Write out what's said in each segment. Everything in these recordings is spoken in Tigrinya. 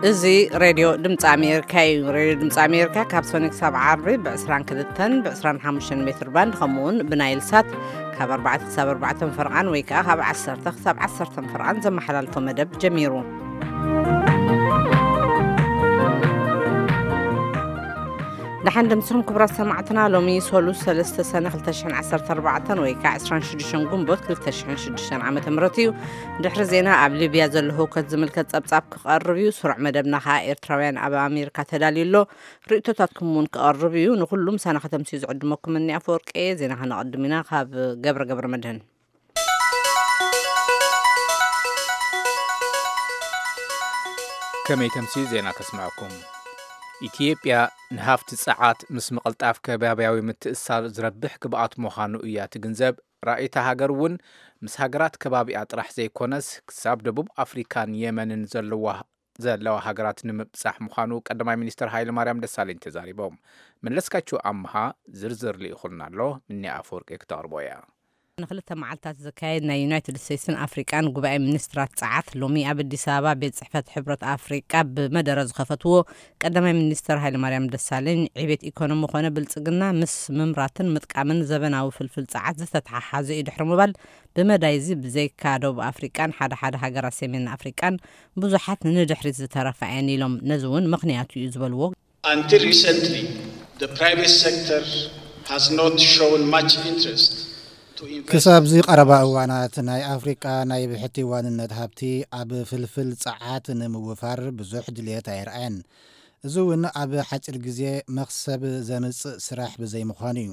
እዚ ሬድዮ ድምፂ ኣሜሪካ እዩ። ሬድዮ ድምፂ ኣሜሪካ ካብ ሰኒ ክሳብ ዓርቢ ብ22 ብ25 ሜትር ባንድ፣ ከምኡ እውን ብናይል ሳት ካብ ኣርባዕተ ክሳብ ኣርባዕተ ፈርቓን ወይ ከዓ ካብ ዓሰርተ ክሳብ ዓሰርተ ፈርቓን ዘመሓላልፎ መደብ ጀሚሩ። ደሓን ድምፅኹም ክቡራት ሰማዕትና። ሎሚ ሶሉስ ሰለስተ ሰነ ክልተ ሽሕን ዓሰርተ ኣርባዕተን ወይ ከዓ ዕስራን ሽዱሽተን ጉንቦት ክልተ ሽሕን ሽዱሽተን ዓመተ ምህረት እዩ። ድሕሪ ዜና ኣብ ሊብያ ዘሎ ህውከት ዝምልከት ጸብጻብ ክቐርብ እዩ። ስሩዕ መደብና ከዓ ኤርትራውያን ኣብ ኣሜሪካ ተዳልዩ ኣሎ። ርእይቶታትኩም እውን ክቐርብ እዩ። ንኹሉም ሳና ከተምስዩ ዝዕድመኩም እኒ ኣፈወርቂ እየ። ዜና ከነቐድም ኢና ካብ ገብረ ገብረ መድህን። ከመይ ተምሲ ዜና ከስምዐኩም። ኢትዮጵያ ንሃፍቲ ጸዓት ምስ ምቕልጣፍ ከባብያዊ ምትእስሳር ዝረብሕ ግብኣት ምዃኑ እያ ትግንዘብ። ራእይታ ሃገር እውን ምስ ሃገራት ከባቢኣ ጥራሕ ዘይኮነስ ክሳብ ደቡብ ኣፍሪካን የመንን ዘለዋ ዘለዋ ሃገራት ንምብጻሕ ምዃኑ ቀዳማይ ሚኒስትር ሃይለ ማርያም ደሳለኝ ተዛሪቦም። መለስካቸው ኣምሃ ዝርዝር ልኢኹልና ኣሎ። ምኒ ኣፈወርቂ ክተቕርቦ እያ። ንክልተ መዓልታት ዝካየድ ናይ ዩናይትድ ስቴትስን ኣፍሪቃን ጉባኤ ሚኒስትራት ጸዓት ሎሚ ኣብ ኣዲስ ኣበባ ቤት ጽሕፈት ሕብረት ኣፍሪቃ ብመደረ ዝኸፈትዎ ቀዳማይ ሚኒስትር ሃይለ ማርያም ደሳለኝ፣ ዕቤት ኢኮኖሚ ኮነ ብልጽግና ምስ ምምራትን ምጥቃምን ዘበናዊ ፍልፍል ጸዓት ዝተተሓሓዘ እዩ ድሕሪ ምባል፣ ብመዳይ እዚ ብዘይካ ደቡብ ኣፍሪቃን ሓደ ሓደ ሃገራት ሰሜን ኣፍሪቃን ብዙሓት ንድሕሪት ዝተረፋ እየን ኢሎም። ነዚ እውን ምኽንያቱ እዩ ዝበልዎ። Until recently, the private sector has not shown much interest to invest. ክሳብዚ ቀረባ እዋናት ናይ ኣፍሪቃ ናይ ብሕቲ ዋንነት ሃብቲ ኣብ ፍልፍል ጸዓት ንምውፋር ብዙሕ ድልየት ኣይርኣየን። እዚ እውን ኣብ ሓጺር ግዜ መኽሰብ ዘምጽእ ስራሕ ብዘይምዃኑ እዩ።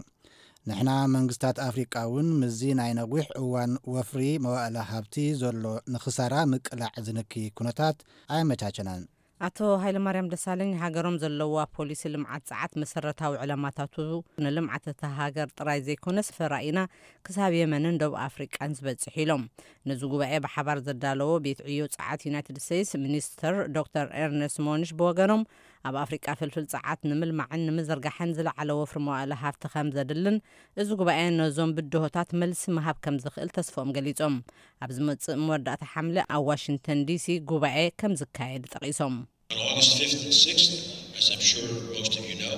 ንሕና መንግስታት ኣፍሪቃ እውን ምስዚ ናይ ነዊሕ እዋን ወፍሪ መዋእለ ሃብቲ ዘሎ ንኽሳራ ምቅላዕ ዝንኪ ኩነታት ኣየመቻቸናን። ኣቶ ሃይለማርያም ደሳለኝ ሃገሮም ዘለዋ ፖሊሲ ልምዓት ጸዓት መሰረታዊ ዕላማታቱ ንልምዓት እታ ሃገር ጥራይ ዘይኮነስ ፈራኢና ክሳብ የመንን ደቡብ ኣፍሪቃን ዝበጽሕ ኢሎም። ነዚ ጉባኤ ብሓባር ዘዳለዎ ቤት ዕዮ ጸዓት ዩናይትድ ስቴትስ ሚኒስትር ዶክተር ኤርነስት ሞንሽ ብወገኖም ኣብ ኣፍሪቃ ፍልፍል ጸዓት ንምልማዕን ንምዝርጋሕን ዝለዓለ ወፍሪ መዋእለ ሃብቲ ከም ዘድልን እዚ ጉባኤ ነዞም ብድሆታት መልሲ ምሃብ ከም ዝኽእል ተስፍኦም ገሊጾም። ኣብ ዝመጽእ መወዳእታ ሓምለ ኣብ ዋሽንግተን ዲሲ ጉባኤ ከም ዝካየድ ጠቒሶም። On August fifth and sixth, as I'm sure most of you know,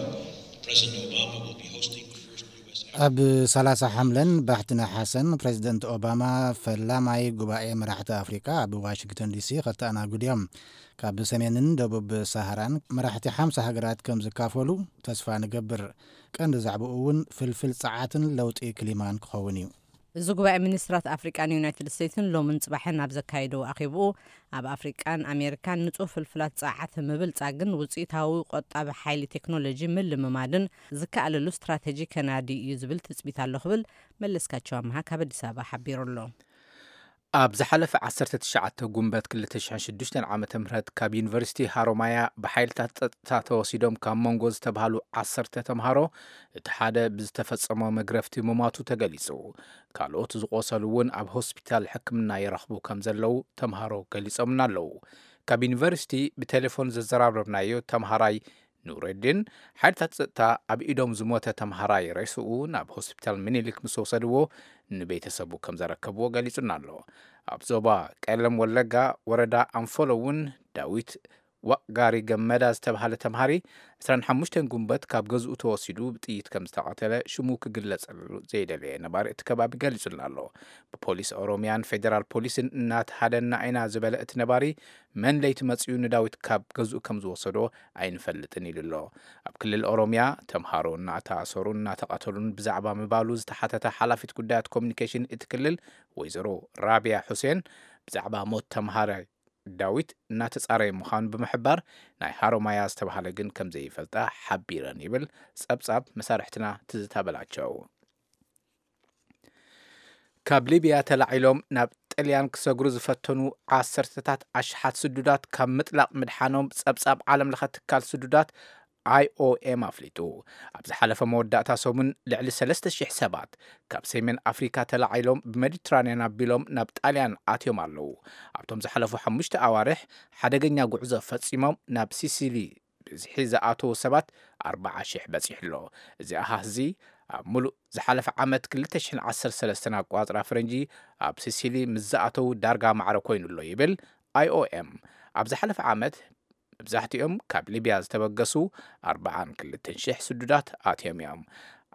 President Obama will be hosting the first U S ኣብ ሰላሳ ሓምለን ባሕቲ ነሓሰን ፕሬዚደንት ኦባማ ፈላማይ ጉባኤ መራሕቲ ኣፍሪካ ኣብ ዋሽንግተን ዲሲ ከተኣናግዱ እዮም። ካብ ሰሜንን ደቡብ ሰሃራን መራሕቲ ሓምሳ ሃገራት ከም ዝካፈሉ ተስፋ ንገብር። ቀንዲ ዛዕባኡ እውን ፍልፍል ጸዓትን ለውጢ ክሊማን ክኸውን እዩ። እዚ ጉባኤ ሚኒስትራት ኣፍሪቃን ዩናይትድ ስቴትስን ሎምን ጽባሕን ኣብ ዘካየድዎ ኣኼብኡ፣ ኣብ ኣፍሪቃን ኣሜሪካን ንጹህ ፍልፍላት ጸዓት ምብልጻግን ውጽኢታዊ ቆጣቢ ሓይሊ ቴክኖሎጂ ምልምማድን ዝከኣለሉ ስትራተጂ ከናዲ እዩ ዝብል ትጽቢት ኣሎ ክብል መለስካቸው ኣምሃ ካብ ኣዲስ ኣበባ ሓቢሩ ኣሎ። ኣብ ዝሓለፈ ዓሰርተ ትሽዓተ ጉንበት ክልተ ሽሕን ሽዱሽተን ዓመተ ምህረት ካብ ዩኒቨርሲቲ ሃሮማያ ብሓይልታት ጸጥታ ተወሲዶም ካብ መንጎ ዝተባህሉ ዓሰርተ ተምሃሮ እቲ ሓደ ብዝተፈጸሞ መግረፍቲ ምሟቱ ተገሊጹ። ካልኦት ዝቖሰሉ እውን ኣብ ሆስፒታል ሕክምና ይረኽቡ ከም ዘለዉ ተምሃሮ ገሊጾምና ኣለዉ። ካብ ዩኒቨርሲቲ ብቴሌፎን ዘዘራረብናዮ ተምሃራይ ኑረዲን፣ ሓይልታት ጸጥታ ኣብ ኢዶም ዝሞተ ተምሃራይ ሬስኡ ናብ ሆስፒታል ሚኒሊክ ምስ ወሰድዎ ንቤተሰቡ ከም ዘረከብዎ ገሊጹና ኣሎ። ኣብ ዞባ ቀለም ወለጋ ወረዳ ኣንፈሎ እውን ዳዊት ዋጋሪ ገመዳ ዝተባሃለ ተምሃሪ ዕስራን ሓሙሽተን ጉንበት ካብ ገዝኡ ተወሲዱ ብጥይት ከም ዝተቐተለ ሽሙ ክግለጸሉ ዘይደለየ ነባሪ እቲ ከባቢ ገሊጹልና ኣሎ። ብፖሊስ ኦሮሚያን ፌዴራል ፖሊስን እናተሃደና ኢና ዝበለ እቲ ነባሪ፣ መን ለይቲ መጺኡ ንዳዊት ካብ ገዝኡ ከም ዝወሰዶ ኣይንፈልጥን ኢሉ ኣሎ። ኣብ ክልል ኦሮሚያ ተምሃሮ እናተኣሰሩን እናተቐተሉን ብዛዕባ ምባሉ ዝተሓተተ ሓላፊት ጉዳያት ኮሚኒኬሽን እቲ ክልል ወይዘሮ ራቢያ ሑሴን ብዛዕባ ሞት ተምሃራይ ዳዊት እናተጻረየ ምዃኑ ብምሕባር፣ ናይ ሃሮማያ ዝተባህለ ግን ከም ዘይፈልጣ ሓቢረን ይብል ጸብጻብ መሳርሕትና ትዝታ በላቸው። ካብ ሊብያ ተላዒሎም ናብ ጥልያን ክሰግሩ ዝፈተኑ ዓሰርተታት ኣሽሓት ስዱዳት ካብ ምጥላቕ ምድሓኖም ጸብጻብ ዓለም ለኸ ትካል ስዱዳት ኣይ ኦ ኤም ኣፍሊጡ። ኣብ ዝሓለፈ መወዳእታ ሰሙን ልዕሊ ሰለስተ ሽሕ ሰባት ካብ ሰሜን ኣፍሪካ ተላዒሎም ብሜዲትራንያን ኣቢሎም ናብ ጣልያን ኣትዮም ኣለዉ። ኣብቶም ዝሓለፉ ሓሙሽተ ኣዋርሕ ሓደገኛ ጉዕዞ ፈጺሞም ናብ ሲሲሊ ብዝሒ ዝኣተዉ ሰባት ኣርባዓ ሽሕ በጺሑ ኣሎ። እዚ ኣሃዝ እዚ ኣብ ሙሉእ ዝሓለፈ ዓመት ክልተ ሽሕን ዓሰርተ ሰለስተን ኣቆጻጽራ ፈረንጂ ኣብ ሲሲሊ ምስ ዝኣተዉ ዳርጋ ማዕረ ኮይኑ ኣሎ ይብል ኣይኦኤም። ኣብ ዝሓለፈ ዓመት መብዛሕትኦም ካብ ሊብያ ዝተበገሱ ኣርባዓን ክልተን ሽሕ ስዱዳት ኣትዮም እዮም።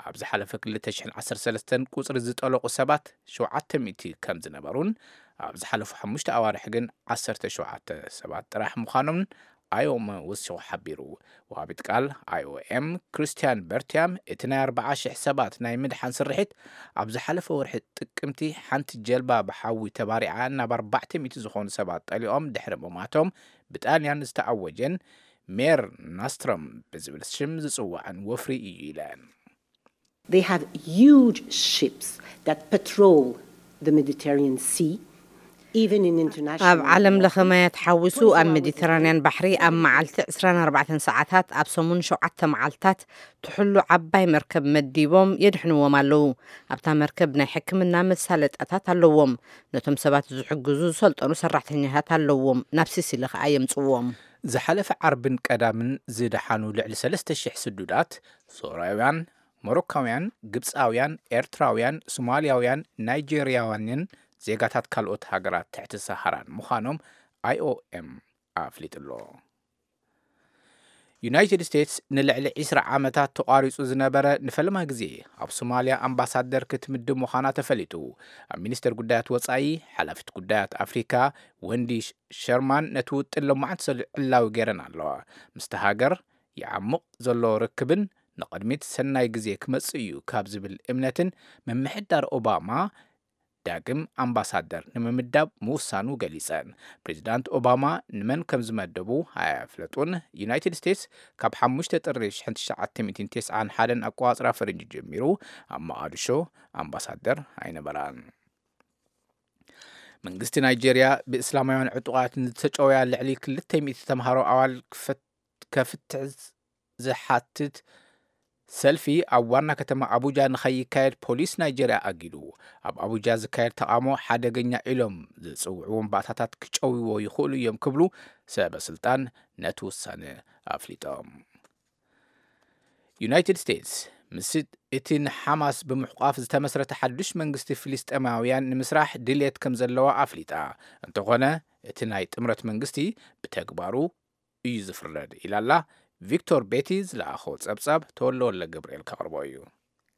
ኣብ ዝሓለፈ ክልተ ሽሕን ዓሰርተ ሰለስተን ቁጽሪ ዝጠለቑ ሰባት ሸውዓተ ሚእቲ ከም ዝነበሩን ኣብ ዝሓለፉ ሓሙሽተ ኣዋርሕ ግን ዓሰርተ ሸውዓተ ሰባት ጥራሕ ምዃኖምን ኣይኦኤም ወሲኹ ሓቢሩ። ወሃቢት ቃል ኣይኦኤም ክርስቲያን በርቲያም እቲ ናይ ኣርባዓ ሽሕ ሰባት ናይ ምድሓን ስርሒት ኣብ ዝሓለፈ ወርሒ ጥቅምቲ ሓንቲ ጀልባ ብሓዊ ተባሪዓ ናብ ኣርባዕተ ሚእቲ ዝኾኑ ሰባት ጠሊቖም ድሕሪ ምሟቶም ብጣልያን ዝተኣወጀን ሜር ናስትሮም ብዝብል ሽም ዝጽዋዕን ወፍሪ እዩ ኢለን። They have huge ships that patrol the Mediterranean Sea, even in international ኣብ ዓለም ለኸ ማያት ሓዊሱ ኣብ ሜዲተራንያን ባሕሪ ኣብ መዓልቲ ዕስራን ኣርባዕተን ሰዓታት ኣብ ሰሙን ሸውዓተ መዓልታት ትሕሉ ዓባይ መርከብ መዲቦም የድሕንዎም ኣለዉ። ኣብታ መርከብ ናይ ሕክምና መሳለጣታት ኣለዎም። ነቶም ሰባት ዝሕግዙ ዝሰልጠኑ ሰራሕተኛታት ኣለዎም። ናብ ሲሲሊ ከኣ የምጽዎም። ዝሓለፈ ዓርብን ቀዳምን ዝደሓኑ ልዕሊ ሰለስተ ሽሕ ስዱዳት ሶርያውያን፣ ሞሮካውያን፣ ግብጻውያን፣ ኤርትራውያን፣ ሶማልያውያን፣ ናይጄርያውያንን ዜጋታት ካልኦት ሃገራት ትሕቲ ሰሃራን ምዃኖም ኣይኦኤም ኣፍሊጡ ኣሎ። ዩናይትድ ስቴትስ ንልዕሊ ዕስራ ዓመታት ተቋሪጹ ዝነበረ ንፈለማ ግዜ ኣብ ሶማልያ ኣምባሳደር ክትምድብ ምዃና ተፈሊጡ። ኣብ ሚኒስተር ጉዳያት ወጻኢ ሓላፊት ጉዳያት ኣፍሪካ ወንዲ ሸርማን ነቲ ውጥን ሎማዓንቲ ሰሉዕ ዕላዊ ገይረን ኣለዋ። ምስቲ ሃገር ይዓሙቕ ዘሎ ርክብን ንቕድሚት ሰናይ ግዜ ክመጽእ እዩ ካብ ዝብል እምነትን ምምሕዳር ኦባማ ዳግም ኣምባሳደር ንምምዳብ ምውሳኑ ገሊጸን። ፕሬዚዳንት ኦባማ ንመን ከም ዝመደቡ ኣያፍለጡን። ዩናይትድ ስቴትስ ካብ ሓሙሽተ ጥሪ ሽሕን ትሽዓተ ሚእትን ተስዓን ሓደን ኣቆጻጽራ ፈረንጂ ጀሚሩ ኣብ መቓድሾ ኣምባሳደር ኣይነበራን። መንግስቲ ናይጄርያ ብእስላማውያን ዕጡቓትን ዝተጨወያ ልዕሊ ክልተ ሚእቲ ተምሃሮ ኣዋል ክፈት- ከፍትሕ ዝሓትት ሰልፊ ኣብ ዋና ከተማ ኣቡጃ ንኸይካየድ ፖሊስ ናይጄርያ ኣጊዱ። ኣብ ኣቡጃ ዝካየድ ተቓውሞ ሓደገኛ ኢሎም ዝጽውዕዎም ባእታታት ክጨውይዎ ይኽእሉ እዮም ክብሉ ሰበ ስልጣን ነቲ ውሳነ ኣፍሊጦም። ዩናይትድ ስቴትስ ምስ እቲ ንሓማስ ብምሕቋፍ ዝተመስረተ ሓዱሽ መንግስቲ ፍልስጤማውያን ንምስራሕ ድልየት ከም ዘለዋ ኣፍሊጣ። እንተኾነ እቲ ናይ ጥምረት መንግስቲ ብተግባሩ እዩ ዝፍረድ ኢላላ። ቪክቶር ቤቲ ዝለኣኾ ጸብጻብ ተወለ ወለ ገብርኤል ከቕርቦ እዩ።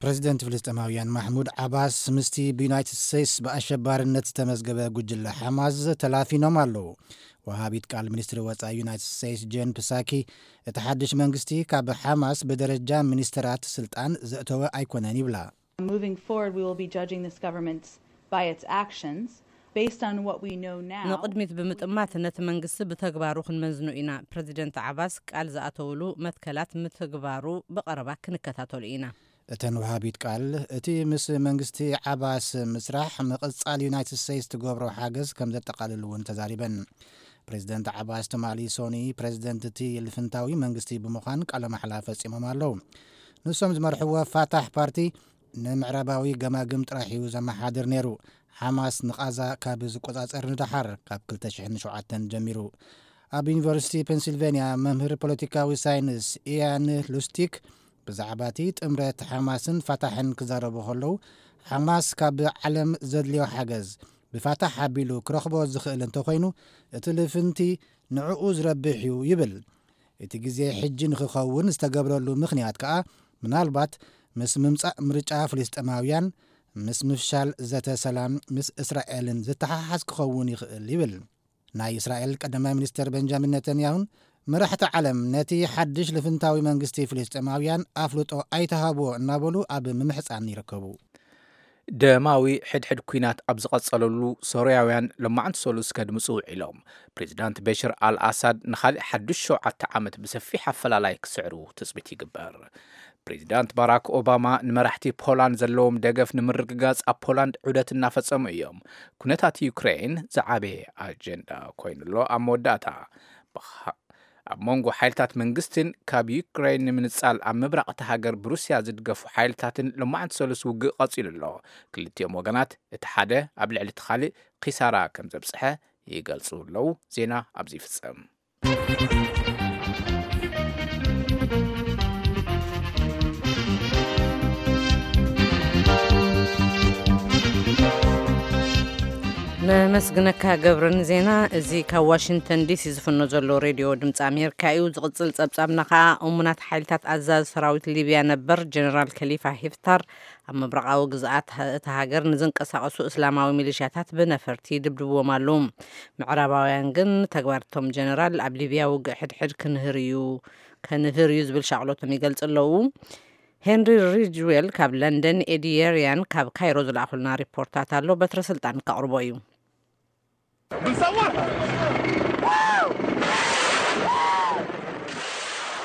ፕረዚደንት ፍልስጤማውያን ማሕሙድ ዓባስ ምስቲ ብዩናይትድ ስቴትስ ብኣሸባርነት ዝተመዝገበ ጉጅለ ሓማስ ተላፊኖም ኣለዉ። ወሃቢት ቃል ሚኒስትሪ ወጻኢ ዩናይትድ ስቴትስ ጄን ፕሳኪ እቲ ሓድሽ መንግስቲ ካብ ሓማስ ብደረጃ ሚኒስትራት ስልጣን ዘእተወ ኣይኮነን ይብላ። Moving forward, we will be judging this government by its actions. Based on what we know now, ንቕድሚት ብምጥማት ነቲ መንግስቲ ብተግባሩ ክንመዝኖ ኢና። ፕረዚደንት ዓባስ ቃል ዝኣተውሉ መትከላት ምትግባሩ ብቐረባ ክንከታተሉ ኢና። እተን ወሃቢት ቃል እቲ ምስ መንግስቲ ዓባስ ምስራሕ ምቕጻል ዩናይትድ ስቴትስ ትገብሮ ሓገዝ ከም ዘጠቓልል እውን ተዛሪበን። ፕሬዚደንት ዓባስ ትማሊ ሶኒ ፕሬዚደንት እቲ ልፍንታዊ መንግስቲ ብምዃን ቃለ ማሕላ ፈጺሞም ኣለዉ። ንሶም ዝመርሕዎ ፋታሕ ፓርቲ ንምዕራባዊ ገማግም ጥራሕ እዩ ዘመሓድር ነይሩ። ሓማስ ንቓዛ ካብ ዝቆጻጸር ንደሓር ካብ ክልተ ሽሕን ሸውዓተን ጀሚሩ። ኣብ ዩኒቨርሲቲ ፔንሲልቬንያ መምህር ፖለቲካዊ ሳይንስ ኢያን ሉስቲክ ብዛዕባ እቲ ጥምረት ሓማስን ፋታሕን ክዛረቡ ከለዉ፣ ሓማስ ካብ ዓለም ዘድልዮ ሓገዝ ብፋታሕ ኣቢሉ ክረኽቦ ዝኽእል እንተኾይኑ፣ እቲ ልፍንቲ ንዕኡ ዝረብሕ እዩ ይብል። እቲ ግዜ ሕጂ ንክኸውን ዝተገብረሉ ምኽንያት ከኣ ምናልባት ምስ ምምጻእ ምርጫ ፍልስጤማውያን፣ ምስ ምፍሻል ዘተ ሰላም ምስ እስራኤልን ዝተሓሓዝ ክኸውን ይኽእል ይብል። ናይ እስራኤል ቀዳማይ ሚኒስትር ቤንጃሚን ነተንያሁን መራሕቲ ዓለም ነቲ ሓድሽ ልፍንታዊ መንግስቲ ፍልስጤማውያን ኣፍልጦ ኣይተሃብዎ እናበሉ ኣብ ምምሕጻን ይርከቡ። ደማዊ ሕድሕድ ኲናት ኣብ ዝቐጸለሉ ሶርያውያን ሎማዕንቲ ሰሉስ ከድምጹ ውዒሎም። ፕሬዚዳንት በሽር ኣል ኣሳድ ንኻልእ ሓዱሽ ሸውዓተ ዓመት ብሰፊሕ ኣፈላላይ ክስዕሩ ትጽቢት ይግበር። ፕሬዚዳንት ባራክ ኦባማ ንመራሕቲ ፖላንድ ዘለዎም ደገፍ ንምርግጋጽ ኣብ ፖላንድ ዑደት እናፈጸሙ እዮም። ኩነታት ዩክሬን ዝዓበየ ኣጀንዳ ኮይኑ ኣሎ። ኣብ መወዳእታ ብኻ- ኣብ መንጎ ሓይልታት መንግስትን ካብ ዩክሬን ንምንጻል ኣብ ምብራቕ እታ ሃገር ብሩስያ ዝድገፉ ሓይልታትን ሎማዕንቲ ሰሉስ ውግእ ቀጺሉ ኣሎ። ክልቲኦም ወገናት እቲ ሓደ ኣብ ልዕሊ እቲ ካልእ ኺሳራ ከም ዘብጽሐ ይገልጹ ኣለዉ። ዜና ኣብዚ ይፍጸም። መስግነካ ገብረ ንዜና እዚ ካብ ዋሽንግተን ዲሲ ዝፍኖ ዘሎ ሬድዮ ድምፂ ኣሜሪካ እዩ። ዝቕፅል ፀብፃብና ከዓ እሙናት ሓይልታት ኣዛዚ ሰራዊት ሊብያ ነበር ጀነራል ከሊፋ ሂፍታር ኣብ ምብራቓዊ ግዝኣት እታ ሃገር ንዝንቀሳቐሱ እስላማዊ ሚሊሻታት ብነፈርቲ ይድብድብዎም ኣለዉ። ምዕራባውያን ግን ተግባርቶም ጀነራል ኣብ ሊብያ ውግእ ሕድሕድ ክንህር እዩ ከንህር እዩ ዝብል ሻቕሎቶም ይገልጽ ኣለዉ። ሄንሪ ሪጅዌል ካብ ለንደን፣ ኤዲ የርያን ካብ ካይሮ ዝለኣኹልና ሪፖርታት ኣሎ። በትረ ስልጣን ከቕርቦ እዩ።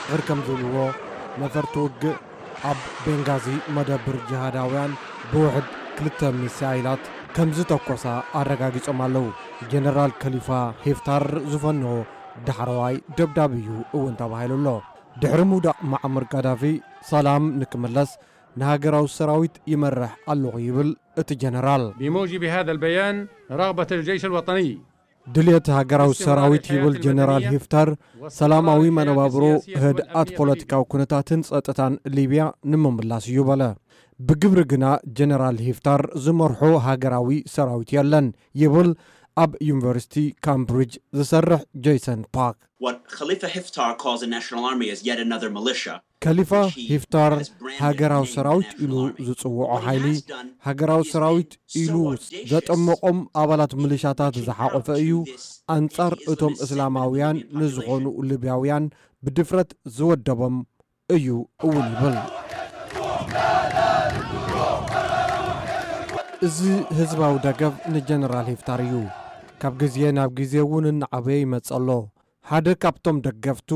ድሕር ከም ዝብልዎ፣ ነፈርቲ ውግእ ኣብ ቤንጋዚ መደብር ጅሃዳውያን ብውሕድ ክልተ ሚሳይላት ከም ዝተኮሳ ኣረጋጊጾም ኣለዉ። ጀነራል ከሊፋ ሂፍታር ዝፈንዎ ዳሕረዋይ ደብዳብ እዩ እውን ተባሂሉ ኣሎ። ድሕሪ ምውዳቕ መዓመር ጋዳፊ ሰላም ንክምለስ ንሃገራዊ ሰራዊት ይመርሕ ኣለኹ ይብል እቲ ጀነራል። بموجب هذا البيان رغبة الجيش الوطني ድልየት ሃገራዊ ሰራዊት ይብል ጀነራል ሂፍታር ሰላማዊ መነባብሮ፣ ህድኣት ፖለቲካዊ ኩነታትን ጸጥታን ሊብያ ንምምላስ እዩ በለ። ብግብሪ ግና ጀነራል ሂፍታር ዝመርሖ ሃገራዊ ሰራዊት የለን ይብል ኣብ ዩኒቨርሲቲ ካምብሪጅ ዝሰርሕ ጄሰን ፓክ። What Khalifa Hiftar calls a national army is yet another militia. ከሊፋ ሂፍታር ሃገራዊ ሰራዊት ኢሉ ዝጽውዖ ሓይሊ፣ ሃገራዊ ሰራዊት ኢሉ ዘጠመቖም ኣባላት ሚሊሻታት ዝሓቖፈ እዩ። ኣንጻር እቶም እስላማውያን ንዝኾኑ ሊብያውያን ብድፍረት ዝወደቦም እዩ እውን ይብል። እዚ ህዝባዊ ደገፍ ንጀነራል ሂፍታር እዩ። ካብ ግዜ ናብ ግዜ እውን እናዓበየ ይመጽእ ኣሎ። ሓደ ካብቶም ደገፍቱ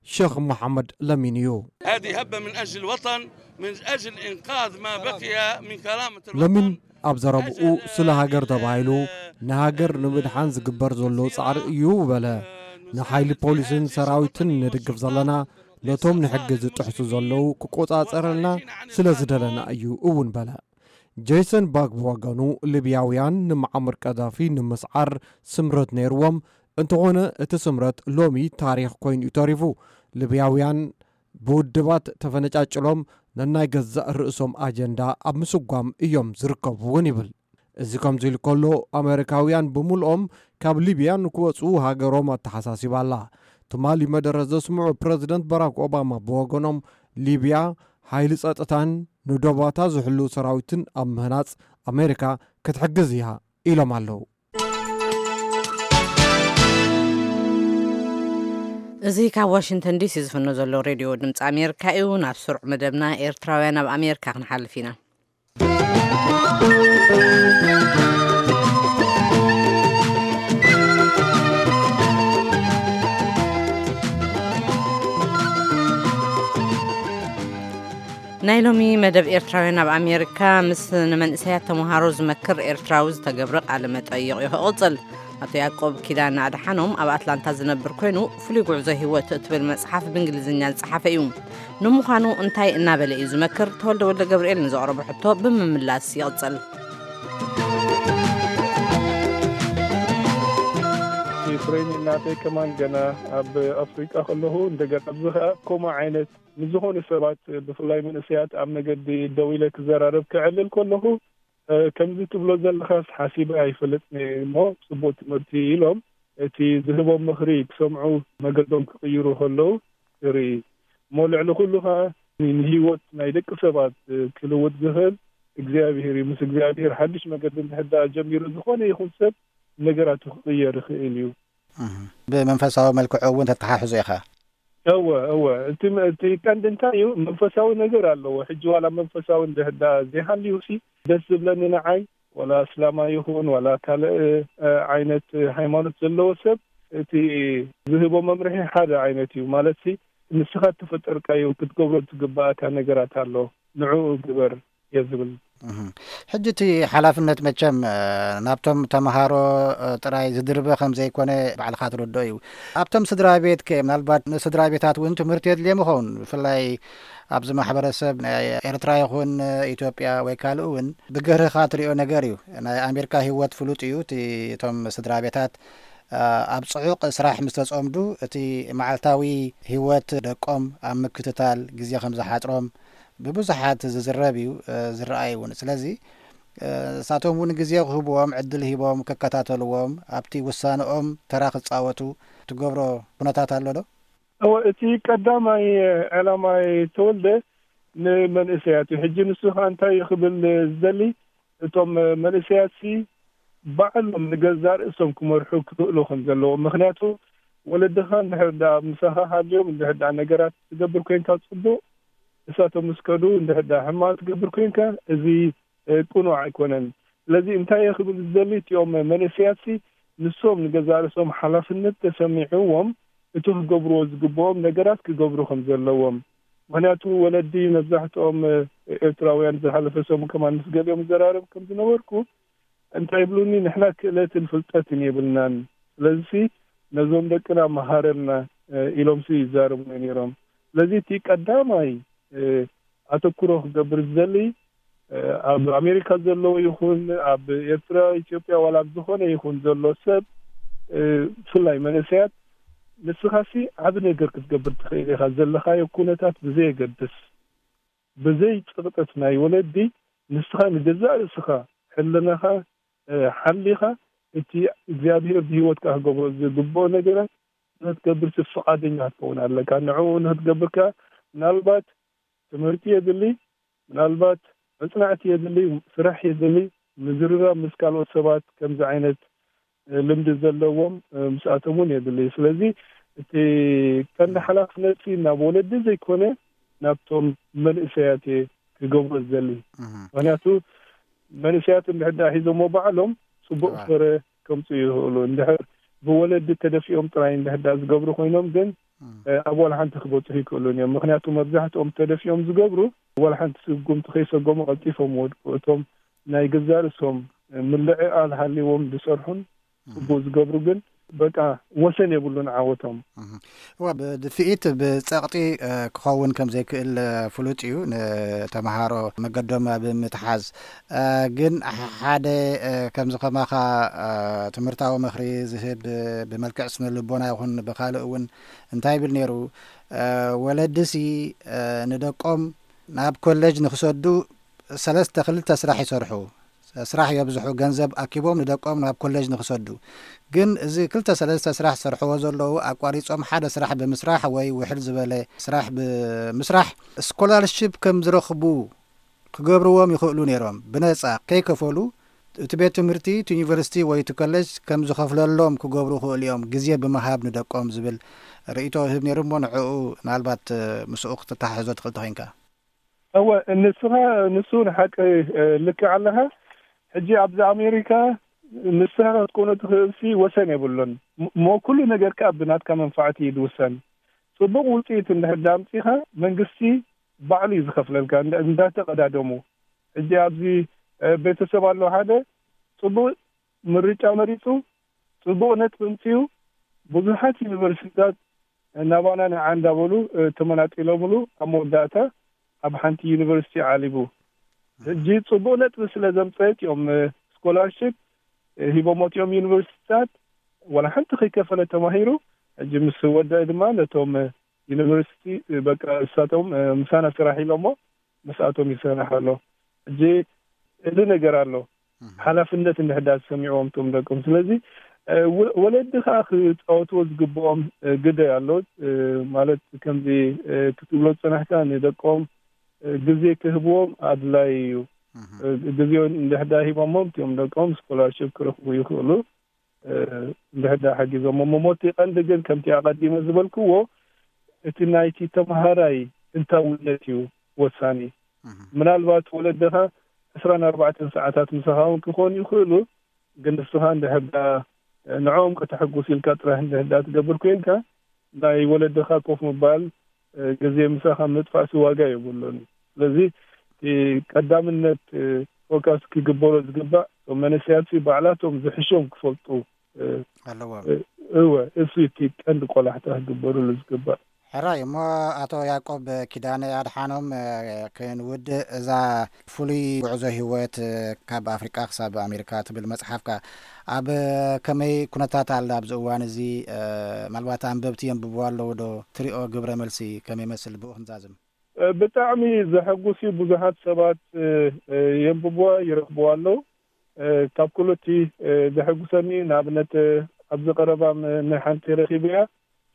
ሸኽ መሓመድ ለሚን እዩ። هذه هبة من أجل الوطن، من أجل إنقاذ ما بقي من كرامة ለሚን الوطن. ኣብ ዘረብኡ ስለ ሃገር ተባሂሉ ንሃገር ንምድሓን ዝግበር ዘሎ ጻዕሪ እዩ በለ። ንሓይሊ ፖሊስን ሰራዊትን ንድግፍ ዘለና ነቶም ንሕጊ ዝጥሕሱ ዘለዉ ክቆጻጸረልና ስለ ዝደለና እዩ እውን በለ። ጄሰን ባክ ብወገኑ ሊብያውያን ንመዓመር ቀዛፊ ንምስዓር ስምረት ነይርዎም፣ እንተኾነ እቲ ስምረት ሎሚ ታሪኽ ኮይኑ እዩ ተሪፉ። ሊብያውያን ብውድባት ተፈነጫጭሎም ነናይ ገዛእ ርእሶም ኣጀንዳ ኣብ ምስጓም እዮም ዝርከቡ እውን ይብል። እዚ ከምዚ ኢሉ ከሎ ኣሜሪካውያን ብምልኦም ካብ ሊብያ ንክወፁ ሃገሮም ኣተሓሳሲባ ኣላ። ትማሊ መደረ ዘስምዑ ፕረዚደንት ባራክ ኦባማ ብወገኖም ሊብያ ሓይሊ ጸጥታን ንዶባታ ዝሕሉ ሰራዊትን ኣብ ምህናጽ ኣሜሪካ ክትሕግዝ እያ ኢሎም ኣለዉ። እዚ ካብ ዋሽንግተን ዲሲ ዝፍኖ ዘሎ ሬድዮ ድምፂ ኣሜሪካ እዩ። ናብ ስሩዕ መደብና ኤርትራውያን ኣብ ኣሜሪካ ክንሓልፍ ኢና። ናይ ሎሚ መደብ ኤርትራውያን ኣብ ኣሜሪካ ምስ ንመንእሰያት ተምሃሮ ዝመክር ኤርትራዊ ዝተገብረ ቃለ መጠይቕ እዩ ክቕጽል። ኣቶ ያዕቆብ ኪዳነ ኣድሓኖም ኣብ ኣትላንታ ዝነብር ኮይኑ፣ ፍሉይ ጉዕዞ ህይወት እትብል መጽሓፍ ብእንግሊዝኛ ዝጸሓፈ እዩ። ንምዃኑ እንታይ እናበለ እዩ ዝመክር? ተወልደ ወልደ ገብርኤል ንዘቕረቦ ሕቶ ብምምላስ ይቕጽል። ዩክሬን እናተይ ከማን ገና ኣብ ኣፍሪቃ ከለኹ እንደገና ኣብዚ ኸዓ ከምኡ ዓይነት ንዝኾኑ ሰባት ብፍላይ መንእሰያት ኣብ መገዲ ደው ኢለ ክዘራረብ ክዕልል ከለኹ ከምዚ ትብሎ ዘለኻስ ሓሲበ ኣይፈልጥን እየ እሞ ጽቡቕ ትምህርቲ ኢሎም እቲ ዝህቦም ምኽሪ ክሰምዑ መገዶም ክቕይሩ ከለዉ ይርኢ እሞ ልዕሊ ኩሉ ኸዓ ንህይወት ናይ ደቂ ሰባት ክልውጥ ዝኽእል እግዚኣብሔር እዩ። ምስ እግዚኣብሔር ሓድሽ መገዲ እንድሕር ደኣ ጀሚሩ ዝኾነ ይኹን ሰብ ነገራቱ ክቕየር ይኽእል እዩ። ብመንፈሳዊ መልክዑ እውን ተተሓሕዞ ኢኻ። እወ እወ እቲ እቲ ቀንዲ እንታይ እዩ መንፈሳዊ ነገር ኣለዎ። ሕጂ ዋላ መንፈሳዊ እንድሕር ደኣ ዘይሃልዩሲ ደስ ዝብለኒ ንዓይ ዋላ እስላማ ይኹን ዋላ ካልእ ዓይነት ሃይማኖት ዘለዎ ሰብ እቲ ዝህቦ መምርሒ ሓደ ዓይነት እዩ። ማለትሲ ንስኻ እተፈጠርካዮ ክትገብሮ ዝግብኣካ ነገራት ኣሎ ንዕኡ ግበር እየ ዝብል። ሕጂ እቲ ሓላፍነት መቸም ናብቶም ተምሃሮ ጥራይ ዝድርበ ከም ዘይኮነ ባዕልኻ ትርድኦ እዩ። ኣብቶም ስድራ ቤት ከ ምናልባት ንስድራ ቤታት እውን ትምህርቲ የድልዮም ይኸውን። ብፍላይ ኣብዚ ማሕበረሰብ ናይ ኤርትራ ይኹን ኢትዮጵያ ወይ ካልእ እውን ብግህርኻ ትሪኦ ነገር እዩ። ናይ ኣሜሪካ ህይወት ፍሉጥ እዩ። እቲ እቶም ስድራ ቤታት ኣብ ጽዑቕ ስራሕ ምስ ተጸምዱ እቲ መዓልታዊ ህይወት ደቆም ኣብ ምክትታል ግዜ ከም ዝሓጽሮም ብብዙሓት ዝዝረብ እዩ ዝረኣይ እውን። ስለዚ እ፣ ንሳቶም እውን ግዜ ክህብዎም፣ ዕድል ሂቦም ክከታተልዎም፣ ኣብቲ ውሳነኦም ተራ ክጻወቱ ትገብሮ ኩነታት ኣሎ ዶ? እወ፣ እቲ ቀዳማይ ዕላማይ ተወልደ ንመንእሰያት እዩ። ሕጂ ንሱ ኸኣ እንታይ እዩ ክብል ዝደሊ፣ እቶም መንእሰያትሲ ባዕሎም ንገዛእ ርእሶም ክመርሑ ክኽእሉ ከም ዘለዎም። ምኽንያቱ ወለድኻ እንድሕር ደኣ ምሳኻ ሃልዮም እንድሕር ደኣ ነገራት ትገብር ኮይንካ ጽቡቕ፣ እሳቶም ምስ ከዱ እንድሕር ደኣ ሕማቕ ትገብር ኮይንካ፣ እዚ እ፣ ቅኑዕ ኣይኮነን። ስለዚ እንታይ እየ ክብል ዝደሊ፣ እቲኦም መንእሰያትሲ ንሶም ንገዛእ ርእሶም ሓላፍነት ተሰሚዕዎም እቲ ክገብርዎ ዝግብኦም ነገራት ክገብሩ ከም ዘለዎም። ምኽንያቱ ወለዲ መብዛሕትኦም፣ እ፣ ኤርትራውያን ዝሓለፈ ሰሙን ከማን ምስ ገሊኦም ዝዘራረብ ከም ዝነበርኩ እንታይ ይብሉኒ፣ ንሕና ክእለትን ፍልጠትን የብልናን፣ ስለዚሲ ነዞም ደቅና መሃረልና፣ እ፣ ኢሎምሲ ይዛረቡኒ ነይሮም። ስለዚ እቲ ቀዳማይ፣ እ፣ ኣተኩሮ ክገብር ዝደሊ፣ እ፣ ኣብ ኣሜሪካ ዘለዎ ይኹን ኣብ ኤርትራ፣ ኢትዮጵያ፣ ዋላ ኣብ ዝኾነ ይኹን ዘሎ ሰብ፣ እ፣ ብፍላይ መንእሰያት፣ ንስኻሲ ዓቢ ነገር ክትገብር ትኽእል ኢኻ። ዘለኻዮ ኩነታት ብዘየገድስ፣ ብዘይ ጸቕጠት ናይ ወለዲ፣ ንስኻ ንገዛእ ርእስኻ፣ ሕልናኻ፣ እ፣ ሓሊኻ፣ እቲ እግዚኣብሄር ብህይወትካ ክገብሮ ዝግብኦ ነገራት ንኽትገብርሲ ፍቓደኛ ክትከውን ኣለካ። ንዕኡ ንኽትገብር ከኣ ምናልባት ትምህርቲ የድሊ፣ ምናልባት መጽናዕቲ የድሊ፣ ስራሕ የድሊ፣ ምዝርራብ ምስ ካልኦት ሰባት ከምዚ ዓይነት፣ እ፣ ልምዲ ዘለዎም፣ እ፣ ምስኣቶም እውን የድሊ። ስለዚ እቲ ቀንዲ ሓላፍነትሲ ናብ ወለዲ ዘይኮነ ናብቶም መንእሰያት እየ ክገብሮ ዝደሊ። እህ። ምኽንያቱ መንእሰያት እንድሕር ደኣ ሒዞሞ ባዕሎም ጽቡቕ እዋ። ፍረ ከምጽኡ ይኽእሉ። እንድሕር ብወለዲ ተደፊኦም ጥራይ እንድሕር ደኣ ዝገብሩ ኮይኖም ግን፣ እም። እ፣ ኣብ ዋላ ሓንቲ ክበጽሑ ይክእሉን እዮም። ምኽንያቱ መብዛሕትኦም ተደፊኦም ዝገብሩ ዋላ ሓንቲ ስጉምቲ ከይሰጎሙ ቀልጢፎም ይወድቁ። እቶም ናይ ገዛእ ርእሶም፣ እ፣ ምልዕዓል ሃልይዎም ዝሰርሑን እም። ጽቡቕ ዝገብሩ ግን በቃ ወሰን የብሉን ዓወቶም። እም። እዋ፣ ብድፍኢት ብጸቕጢ፣ እ፣ ክኸውን ከም ዘይክእል፣ እ፣ ፍሉጥ እዩ። ንተምሃሮ መገዶም ኣብ ምትሓዝ፣ እ፣ ግን ሕ-፣ ሓደ፣ እ፣ ከምዚ ከማኻ፣ እ፣ ትምህርታዊ ምኽሪ ዝህብ፣ እ፣ ብመልክዕ ስነ ልቦና ይኹን ብኻልእ እውን እንታይ ይብል ነይሩ፣ እ፣ ወለድሲ፣ እ፣ ንደቆም ናብ ኮሌጅ ንኽሰዱ ሰለስተ ክልተ ስራሕ ይሰርሑ። ስራሕ የብዝሑ፣ ገንዘብ ኣኪቦም ንደቆም ናብ ኮሌጅ ንኽሰዱ። ግን እዚ ክልተ ሰለስተ ስራሕ ዝሰርሕዎ ዘለዉ ኣቋሪጾም ሓደ ስራሕ ብምስራሕ ወይ ውሕድ ዝበለ ስራሕ ብምስራሕ ስኮላርሺፕ ከም ዝረኽቡ ክገብርዎም ይኽእሉ ነይሮም። ብነጻ ከይከፈሉ እቲ ቤት ትምህርቲ፣ እቲ ዩኒቨርሲቲ ወይ እቲ ኮሌጅ ከም ዝኸፍለሎም ክገብሩ ይኽእሉ እዮም፣ ግዜ ብምሃብ ንደቆም ዝብል ርእይቶ እህብ ነይሩ እሞ ንዕኡ ምናልባት፣ እ፣ ምስኡ ክትተሓሕዞ ትኽእል ተኾይንካ። እወ፣ ንስኻ፣ ንሱ ንሓቂ፣ እ፣ ልክዕ ኣለኻ። ሕጂ ኣብዚ ኣሜሪካ ንስኻ ክትኮኖ ትኽእልሲ ወሰን የብሉን። ሞ-፣ ሞ ኩሉ ነገር ከኣ ብናትካ መንፋዕቲ እዩ ዝውሰን። ጽቡቕ ውጽኢት እንድሕር ዳምጺኻ መንግስቲ ባዕሉ እዩ ዝኸፍለልካ እንዳ-፣ እንዳተቐዳደሙ። ሕጂ ኣብዚ፣ እ፣ ቤተሰብ ኣሎ ሓደ ጽቡቕ ምርጫ መሪጹ፣ ጽቡቕ ነጥቢ ኣምጺኡ፣ ብዙሓት ዩኒቨርሲቲታት ናባና ንዓ እንዳበሉ፣ እ፣ ተመናጢሎምሉ ኣብ መወዳእታ ኣብ ሓንቲ ዩኒቨርሲቲ ዓሊቡ። ሕጂ ጽቡቕ ነጥቢ ስለ ዘምጸአት እዮም፣ እ፣ ስኮላርሺፕ፣ እ፣ ሂቦሞት እዮም ዩኒቨርሲቲታት፣ ዋላ ሓንቲ ከይከፈለ ተማሂሩ። ሕጂ ምስ ወደአ ድማ ነቶም፣ እ፣ ዩኒቨርሲቲ፣ እ፣ በቃ እሳቶም፣ እ፣ ምሳና ስራሕ ኢሎሞ ምስኣቶም ይሰርሕ ኣሎ። ሕጂ እዚ ነገር ኣሎ። እህ። ሓላፍነት እንድሕር ዳ ዝሰሚዕዎም እቶም ደቆም። ስለዚ፣ እ፣ ወ-፣ ወለዲ ከኣ ክጻወትዎ ዝግብኦም፣ እ፣ ግደ ኣሎ። እ፣ ማለት ከምዚ፣ እ፣ ክትብሎ ዝጸናሕካ ንደቆም፣ እ፣ ግዜ ክህብዎም ኣድላዪ እዩ። እህ። እ፣ ግዜ እንድሕር ዳ ሂቦሞም እቲኦም ደቆም ስኮላርሺፕ ክረኽቡ ይኽእሉ። እ፣ እንድሕር ዳ ሓጊዞም። እሞ እቲ ቀንዲ ግን ከምቲ ኣቐዲመ ዝበልክዎ እቲ ናይቲ ተምሃራይ እንታውነት እዩ ወሳኒ። እህ። ምናልባት ወለድኻ ዕስራን ኣርባዕተን ሰዓታት ምሳኻ እውን ክኾኑ ይኽእሉ፣ ግን ንስኻ እንድሕር ዳ ንዕኦም ከተሐጉስ ኢልካ ጥራሕ እንድሕር ዳ ትገብር ኮይንካ ናይ ወለድኻ ኮፍ ምባል፣ እ፣ ግዜ ምሳኻ ምጥፋእሲ ዋጋ የብሉን። ስለዚ እቲ ቀዳምነት፣ እ፣ ፎካስ ክግበሮ ዝግባእ እቶም መንእሰያትሲ ባዕላቶም ዝሕሾም ክፈልጡ፣ እ፣ ኣለዎም። እ፣ እወ፣ እሱ እቲ ቀንዲ ቆላሕታ ክግበረሉ ዝግባእ። ሕራይ እሞ ኣቶ ያዕቆብ ኪዳነ ኣድሓኖም፣ እ፣ ክንውድእ እዛ ፍሉይ ጉዕዞ ህይወት፣ እ፣ ካብ ኣፍሪቃ ክሳብ ኣሜሪካ ትብል መጽሓፍካ ኣብ ከመይ ኩነታት ኣላ ኣብዚ እዋን እዚ? እ፣ ምናልባት ኣንበብቲ የንብብዋ ኣለዉ ዶ? ትሪኦ ግብረ መልሲ ከመይ ይመስል? ብኡ ክንዛዝም። እ፣ ብጣዕሚ ዘሐጉስ እዩ። ብዙሓት ሰባት፣ እ፣ እ፣ የንብብዋ፣ ይረኽብዋ ኣለዉ። እ፣ ካብ ኩሉ እቲ፣ እ፣ ዘሐጉሰኒ፣ ንኣብነት፣ እ፣ ኣብዚ ቀረባ ም-፣ ንሓንቲ ረኺበያ።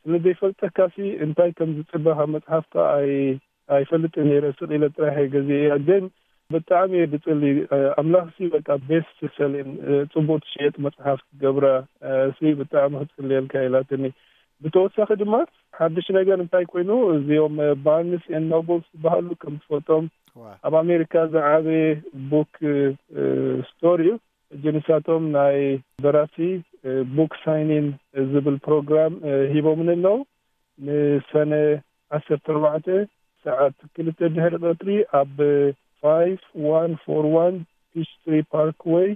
ስለ ዘይፈልጠካሲ እንታይ ከም ዝጽበ ካብ መጽሓፍካ ኣይ-፣ ኣይፈልጥን ነይረ። ስቕ ኢለ ጥራሕ እየ ገዚኤያ። ግን ብጣዕሚ እየ ዝጽሊ። እ፣ ኣምላኽሲ በቃ ቤስት ሰሊን፣ እ፣ ጽቡቕ ትሽየጥ መጽሓፍ ክገብራ፣ እ፣ ሲ ብጣዕሚ ክጽልየልካ ኢላትኒ። ብተወሳኺ ድማ ሓድሽ ነገር እንታይ ኮይኑ፣ እዚኦም፣ እ፣ ባርንስ ኤንድ ኖብልስ ዝበሃሉ ከም ትፈልጦም፣ ዋ። ኣብ ኣሜሪካ ዝዓበየ ቡክ፣ እ፣ ስቶር እዩ። ሕጂ ንሳቶም ናይ ደራሲ፣ እ፣ ቡክ ሳይኒን ዝብል ፕሮግራም፣ እ፣ ሂቦምኒ ኣለዉ። ንሰነ ዓሰርተ ኣርባዕተ ሰዓት ክልተ ድሕሪ ቀትሪ ኣብ ፋይቭ ዋን ፎር ዋን ፒች ትሪ ፓርክወይ፣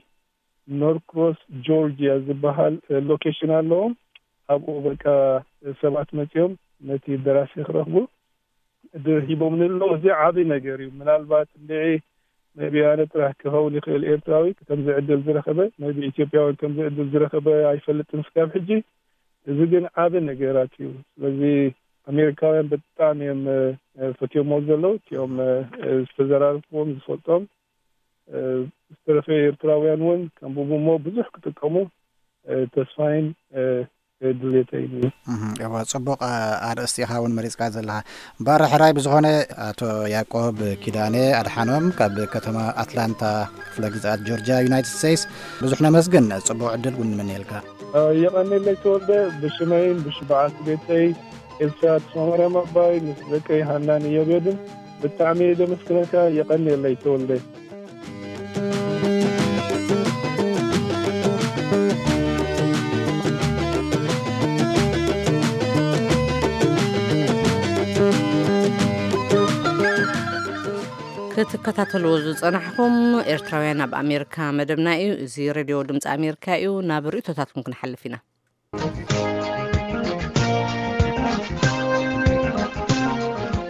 ኖርክሮስ ጆርጂያ ዝበሃል፣ እ፣ ሎኬሽን ኣለዎም። ኣብኡ በቃ ሰባት መጺኦም ነቲ ደራሲ ክረኽቡ ድ-፣ ሂቦምኒ ኣለዉ። እዚ ዓቢ ነገር እዩ። ምናልባት እንድዒ maybe ኣነ ጥራሕ ክኸውን ይኽእል ኤርትራዊ ከምዚ ዕድል ዝረኸበ፣ maybe ኢትዮጵያዊ ከምዚ ዕድል ዝረኸበ ኣይፈልጥን እስካብ ሕጂ። እዚ ግን ዓቢ ነገራት እዩ። ስለዚ ኣሜሪካውያን ብጣዕሚ እዮም፣ እ፣ ፈትዮሞ ዘለዉ። እቲኦም፣ እ፣ ዝተዘራረብኩዎም ዝፈልጦም፣ እ፣ ዝተረፈ ኤርትራውያን እውን ከንብቡ እሞ ብዙሕ ክጥቀሙ፣ እ፣ ተስፋይን፣ እ፣ እ፣ ድሌተይን እዩ። እህ፣ እወ፣ ጽቡቕ፣ እ፣ ኣርእስቲ ኢኻ እውን መሪጽካ ዘለኻ። እምበኣር ሕራይ ብዝኾነ ኣቶ ያዕቆብ ኪዳነ ኣድሓኖም ካብ ከተማ ኣትላንታ ክፍለ ግዝኣት ጆርጅያ ዩናይትድ ስቴትስ ብዙሕ ነመስግን። ጽቡቕ ዕድል እውን ንምንየልካ። እ፣ የቐኔለይ ተወልደ፣ ብሽመይን ብሽበዓቲ ቤተይ ኤልሳ ተስፋማርያም ኣባይ ምስ ደቀይ ሃናን ኢዮቤድን ብጣዕሚ እየ ዘመስግነካ። የቐኔለይ ተወልደ። ክትከታተልዎ ዝጸናሕኩም ኤርትራውያን ኣብ ኣሜሪካ መደብና እዩ። እዚ ሬድዮ ድምፂ ኣሜሪካ እዩ። ናብ ርእይቶታትኩም ክንሓልፍ ኢና።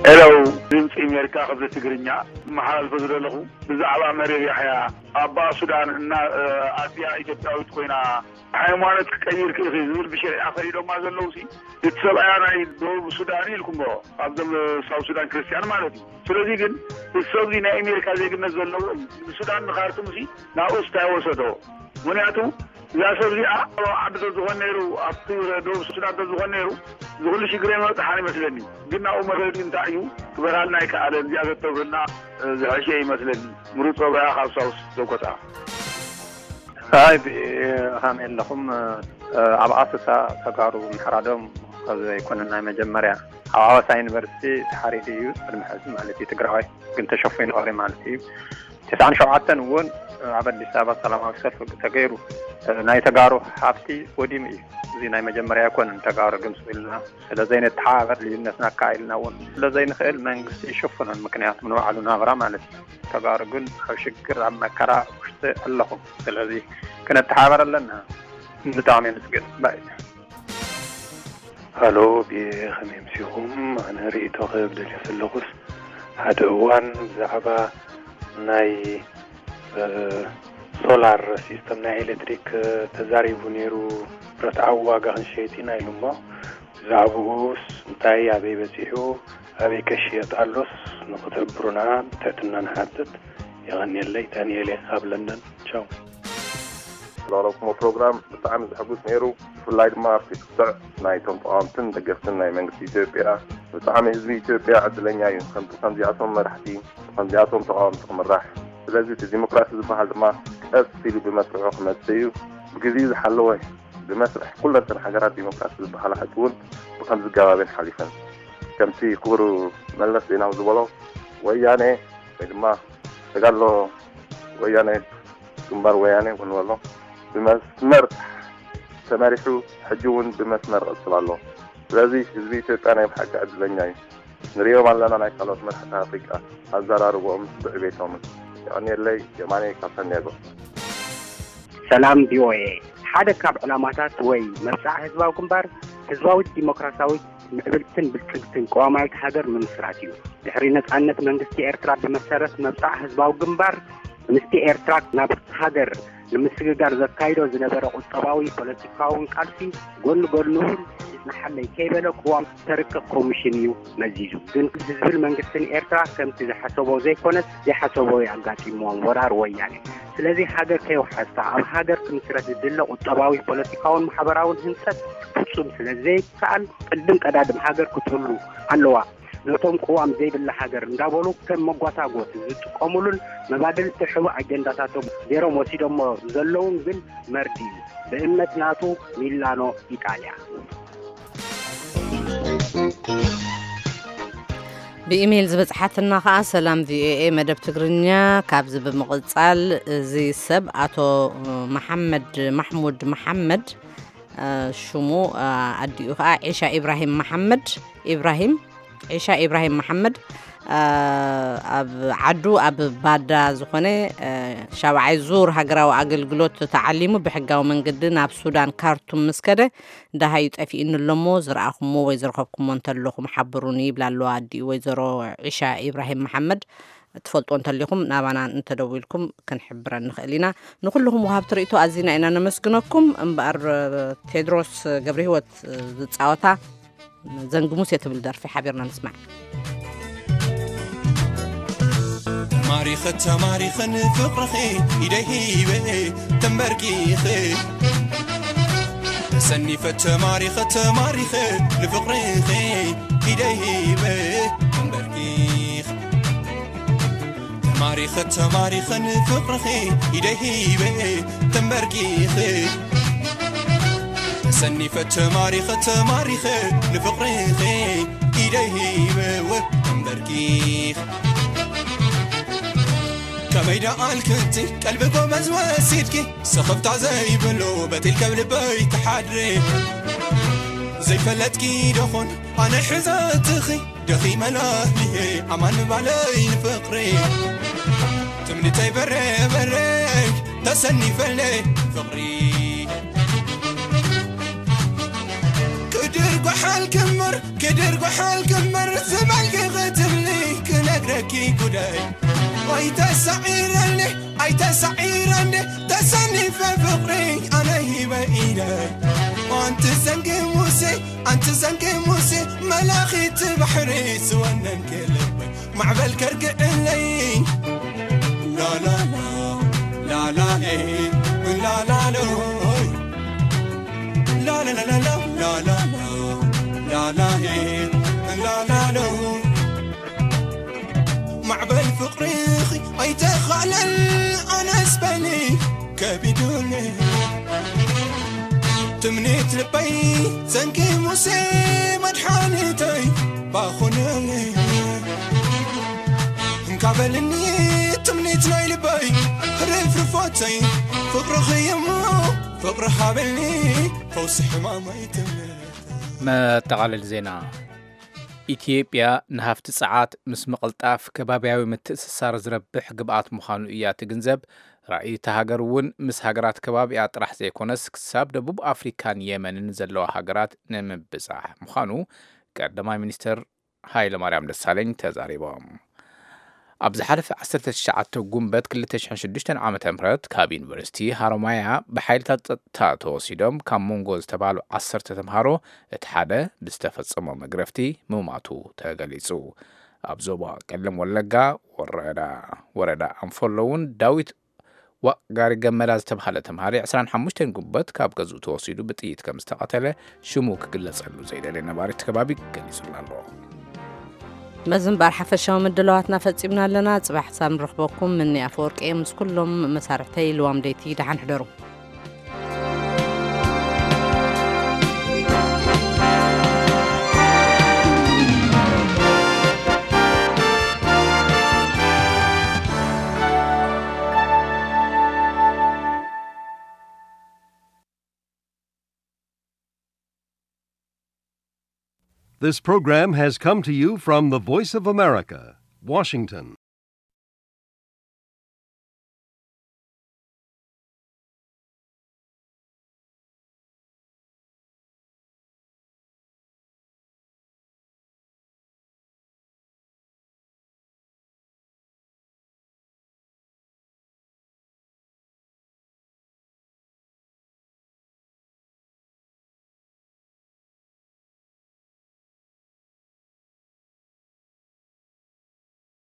ሄሎ፣ ድምፂ ኣሜሪካ፣ ክፍሊ ትግርኛ። መሓላልፎ ዝደለኹ ብዛዕባ መሪር ያሕያ፣ ኣባ ሱዳን እና፣ እ፣ ኣዲኣ ኢትዮጵያዊት ኮይና፣ ሃይማኖት ክቀይር ክኢኺ ዝብል ብሸሪዓ ፈሪዶማ ዘለዉ ሲ፣ እቲ ሰብኣያ ናይ ደቡብ ሱዳን ኢልኩሞ፣ ኣብዞም ሳውት ሱዳን ክርስትያን ማለት እዩ። ስለዚ ግን፣ እዚ ሰብ እዚ ናይ ኣሜሪካ ዜግነት ዘለዎ እዩ። ንሱዳን ንኻርቱም ሲ፣ ናብኡስ እንታይ ወሰዶ? ምኽንያቱ፣ እዛ ሰብ እዚኣ ኣብ ዓዲ ተዝኾን ነይሩ፣ ኣብቲ ደቡብ ሱዳን ተዝኾን ነይሩ፣ እዚ ኩሉ ሽግር ኣይመብፅሓን ይመስለኒ። ግን ናብኡ መኸዲ እንታይ እዩ? ክበርሃልና ኣይከኣለን። እዚኣ ዘተብህልና፣ እ፣ ዝሐሸ ይመስለኒ። ምሩፅ ጸብያ ካብ ሳውስ ደኮታ። ሃይ፣ ብ-፣ ከመይ ኣለኹም? እ፣ ኣብ ኣሶሳ ተጋሩ ምሕራዶም ካብ ዘይኮነ ናይ መጀመርያ ኣብ ሓዋሳ ዩኒቨርሲቲ ተሓሪዱ እዩ። ቅድሚ ሕዚ ማለት እዩ ትግራዋይ ግን ተሸፊኑ ቀሪ ማለት እዩ። ተስዓን ሸውዓተን እውን ኣብ ኣዲስ ኣበባ ሰላማዊ ሰልፊ ተገይሩ፣ ናይ ተጋሩ ሃብቲ ወዲሙ እዩ። እዚ ናይ መጀመርያ ኣይኮነን። ተጋሩ ግን ስቕ ኢልና ስለ ዘይንተሓባበር፣ ልዩነትና ኣካኢልና እውን ስለ ዘይንኽእል መንግስቲ ይሽፍኖን፣ ምክንያቱ ንባዕሉ ናብራ ማለት እዩ። ተጋሩ ግን ኣብ ሽግር ኣብ መከራ ውሽጢ ኣለኹም። ስለዚ ክንተሓባበር ኣለና። ብጣዕሚ የመስግን። ባይ። ሃሎ፣ ቢ-፣ ከመይ ኣምሲኹም? ኣነ ርእይቶ ክህብ ደልየ ዘለኹስ፣ ሓደ እዋን ብዛዕባ ናይ፣ እ፣ ሶላር ሲስተም ናይ ኤሌክትሪክ፣ እ፣ ተዛሪቡ ነይሩ። ብረትዓዊ ዋጋ ክንሸይጥ ኢና ኢሉ እሞ፣ ብዛዕባኡስ እንታይ ኣበይ በጺሑ፣ ኣበይ ከሽየጥ ኣሎስ ንኽትሕብሩና ብትሕትና ንሓትት። የቐንየለይ፣ ዳንኤል እየ ካብ ለንደን። ቻው። ዘቕረብኩሞ ፕሮግራም ብጣዕሚ ዘሐጉስ ነይሩ። ብፍላይ ድማ ኣብቲ ክትዕ ናይቶም ተቓወምትን ደገፍትን ናይ መንግስቲ ኢትዮጵያ፣ ብጣዕሚ ህዝቢ ኢትዮጵያ ዕድለኛ እዩ። ከምቲ ከምዚኣቶም መራሕቲ፣ ከምዚኣቶም ተቓወምቲ ክምራሕ። ስለዚ እቲ ዲሞክራሲ ዝበሃል ድማ ቀስ ኢሉ ብመስርዑ ክመጽእ እዩ። ብግዜኡ ዝሓለወ ብመስርሕ ኩለንተን ሃገራት ዲሞክራሲ ዝበሃላ ሕጂ እውን ብከምዚ ኣገባብ እየን ሓሊፈን። ከምቲ ክቡር መለስ ዜናዊ ዝበሎ፣ ወያነ ወይ ድማ ተጋድሎ ወያነ፣ ግንባር ወያነ እውን በሎ፣ ብመስመር ተመሪሑ፣ ሕጂ እውን ብመስመር ይቕጽል ኣሎ። ስለዚ ህዝቢ ኢትዮጵያ ናይ ብሓቂ ዕድለኛ እዩ። ንሪኦም ኣለና ናይ ካልኦት መራሕቲ ኣፍሪቃ ኣዘራርብኦምን ብዕቤቶምን። የቐንየለይ። የማነ ካብ ሳንዲያጎ። ሰላም ቪ ኦ ኤ። ሓደ ካብ ዕላማታት ወይ መብጽዓ ህዝባዊ ግንባር፣ ህዝባዊት ዲሞክራሲያዊት ምዕብልትን ብልጽግትን ቅዋማዊት ሃገር ምምስራት እዩ። ድሕሪ ነጻነት መንግስቲ ኤርትራ፣ ብመሰረት መብጽዓ ህዝባዊ ግንባር፣ ምስቲ ኤርትራ ናብ ሃገር ንምስግጋር ዘካይዶ ዝነበረ ቁጠባዊ ፖለቲካውን ቃልሲ፣ ጎኒ ጎኑ እውን ንሓለይ ከይበለ ቅዋም ተርቅቕ ኮሚሽን እዩ መዚዙ። ግን ህዝብን መንግስትን ኤርትራ ከምቲ ዝሓሰቦ ዘይኮነስ ዘይሓሰቦ እዩ ኣጋጢምዎም ወራር ወያኔ። ስለዚ ሃገር ከይወሓስካ ኣብ ሃገር ክምስረት ዝድለ ቁጠባዊ፣ ፖለቲካውን ማሕበራውን ህንፀት ፍጹም ስለ ዘይከኣል ቅድም ቀዳድም ሃገር ክትህሉ ኣለዋ። ነቶም ቅዋም ዘይብላ ሃገር እንዳበሉ ከም መጓሳጎት ዝጥቀሙሉን መባድል እሕቡ ኣጀንዳታቶም ገይሮም ወሲዶሞ ዘለውን ግን መርዲ እዩ። ብእምነት ናቱ ሚላኖ ኢጣልያ። ብኢሜይል ዝበጽሓትና ከኣ ሰላም ቪኦኤ መደብ ትግርኛ። ካብዚ ብምቕጻል እዚ ሰብ ኣቶ መሓመድ ማሕሙድ መሓመድ ሽሙ ኣዲኡ ከዓ ዒሻ ኢብራሂም መሓመድ ኢብራሂም ዒሻ ኢብራሂም መሓመድ ኣብ ዓዱ ኣብ ባዳ ዝኾነ ሻብዓይ ዙር ሃገራዊ ኣገልግሎት ተዓሊሙ ብሕጋዊ መንገዲ ናብ ሱዳን ካርቱም ምስ ከደ ደሃዩ ጠፊእኒ ኣሎሞ ዝረኣኹሞ ወይ ዝረኸብኩሞ እንተለኹም ሓብሩኒ ይብላ ኣለዋ ኣዲኡ ወይዘሮ ዒሻ ኢብራሂም መሓመድ። ትፈልጦ እንተሊኹም ናባና እንተደዊልኩም ክንሕብረን ንኽእል ኢና። ንኹልኹም ወሃብቲ ርእቶ ኣዚና ኢና ነመስግነኩም። እምበኣር ቴድሮስ ገብረ ህይወት ዝፃወታ ዘንጊ ሙሴ ትብል ደርፊ ሓቢርና ንስማዕ። ተማሪኸ ተማሪኸ ንፍቕርኺ ኢደይ ሂበ ተንበርኪኸ ተሰኒፈ ተማሪኸ ተማሪኸ ንፍቕርኺ ኢደይ ሂበ ተንበርኪኸ ተማሪኸ ተማሪኸ ንፍቕርኺ ኢደይ ሂበ ተንበርኪኸ ተሰኒፈ ተማሪኸ ተማሪኸ ንፍቕርኺ ኢደይ ሂበ ተንበርኪኸ ከመይ ደኣልክቲ ቀልቢ ጎመዝ ወሲድኪ ስኽፍታ ዘይብሉ በቲል ከብ ልበይ ትሓድሪ ዘይፈለጥኪ ደኹን ኣነ ሕዘትኺ ደኺመ ላህሊሄ ኣማን ምባለይ ንፍቕሪ ትምኒተይ በረ በረ ተሰኒፈለይ ፍቕሪ ክድር ጓሓል ክምር ክድር ጓሓል ክምር ዝበልኪ ክትብሊ ክነግረኪ ጉዳይ ኣይተሳዒረኒ ኣይተሳዒረኒ ተሰኒፈ ፍቕሪ ኣነ ሂበ ኢደይ ኣንቲ ዘንጊ ሙሴ ኣንቲ ዘንጊ ሙሴ መላኺቲ ባሕሪ ዝወነንኪ ልበይ ማዕበል ከርግእለይ ላላላ ላላሌ ላላሎይ ላላላላ ላላላ ላላሌ ላላሎ ማዕበል ፍቕርኺ ኣይተኻለን ኣነስ በሊ ከቢዱኒ ትምኒት ልበይ ዘንጊ ሙሴ መድሓኒተይ ባኹነኒ እንካ በልኒ ትምኒት ናይ ልበይ ርፍርፎተይ ፍቕርኺ እሞ ፍቕሪ ሃበኒ ፈውሲ ሕማመይ ትምኒት መጠቓለሊ ዜና። ኢትዮጵያ ንሃፍቲ ጸዓት ምስ ምቕልጣፍ ከባብያዊ ምትእስሳር ዝረብሕ ግብኣት ምዃኑ እያ ትግንዘብ። ራእይ እታ ሃገር እውን ምስ ሃገራት ከባቢኣ ጥራሕ ዘይኮነስ ክሳብ ደቡብ ኣፍሪካን የመንን ዘለዋ ሃገራት ንምብጻሕ ምዃኑ ቀዳማይ ሚኒስትር ሃይለማርያም ደሳለኝ ተዛሪቦም። ኣብ ዝሓለፈ ዓሰርተ ትሽዓተ ጉንበት ክልተ ሽሕን ሽዱሽተን ዓመተ ምህረት ካብ ዩኒቨርሲቲ ሃሮማያ ብሓይልታት ጸጥታ ተወሲዶም ካብ መንጎ ዝተባህሉ ዓሰርተ ተምሃሮ እቲ ሓደ ብዝተፈጸሞ መግረፍቲ ምማቱ ተገሊጹ። ኣብ ዞባ ቀለም ወለጋ ወረዳ ወረዳ ኣንፎሎ እውን ዳዊት ዋጋሪ ገመዳ ዝተባህለ ተምሃሪ ዕስራን ሓሙሽተን ጉንበት ካብ ገዝኡ ተወሲዱ ብጥይት ከም ዝተቐተለ ሽሙ ክግለጸሉ ዘይደለየ ነባሪ እቲ ከባቢ ገሊጹልና ኣሎ። በዚ እምበኣር ሓፈሻዊ ምድላዋትና ፈጺምና ኣለና። ጽባሕ ክሳብ ንረኽበኩም ምኒ ኣፈወርቂ ምስ ኩሎም መሳርሕተይ ልዋም ደይቲ ደሓን ሕደሩ። This program has come to you from the Voice of America, Washington.